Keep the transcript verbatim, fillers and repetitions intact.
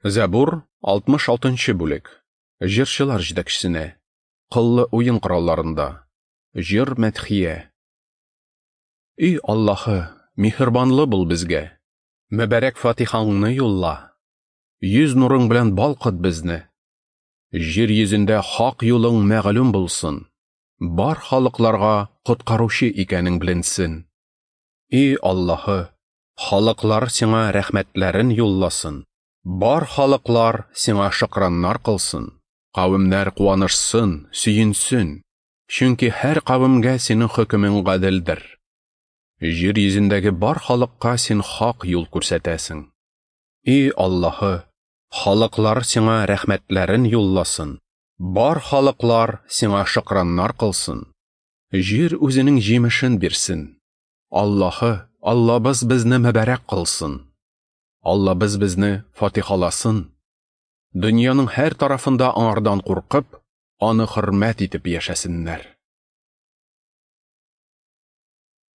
Зәбур, алтмыш алтынчы бүлек. Җырчылар җитәкчесенә. Кыллы уен коралларында. Җыр мәдхия. Ey Аллаһы, миһербанлы бул безгә. Мөбарәк фатихаңны юлла. Йөз нурың белән балкыт безне. Җир йөзендә хак юлың мәгълүм булсын. Бар халыкларга коткаручы икәнең беленсен. Ey Аллаһы, халыклар сиңа рәхмәтләрен юлласын. Бар халыклар сиңа шыкраннар кылсын. Кавемнәр куанышсын, сөенсен. Чөнки һәр кавемгә синең хөкемең гаделдер. Җир йөзендәге бар халыкка син хак юл күрсәтәсең. Ey Аллаһы, халыклар сиңа рәхмәтләрен юлласын. Бар халыклар сиңа шыкраннар кылсын. Җир үзенең җимешен бирсен. Аллаһы, Аллабыз безне мөбарәк кылсын. Аллабыз безне фатихаласын. Дөньяның һәр тарафында аңардан куркып, аны хөрмәт итеп яшәсеннәр.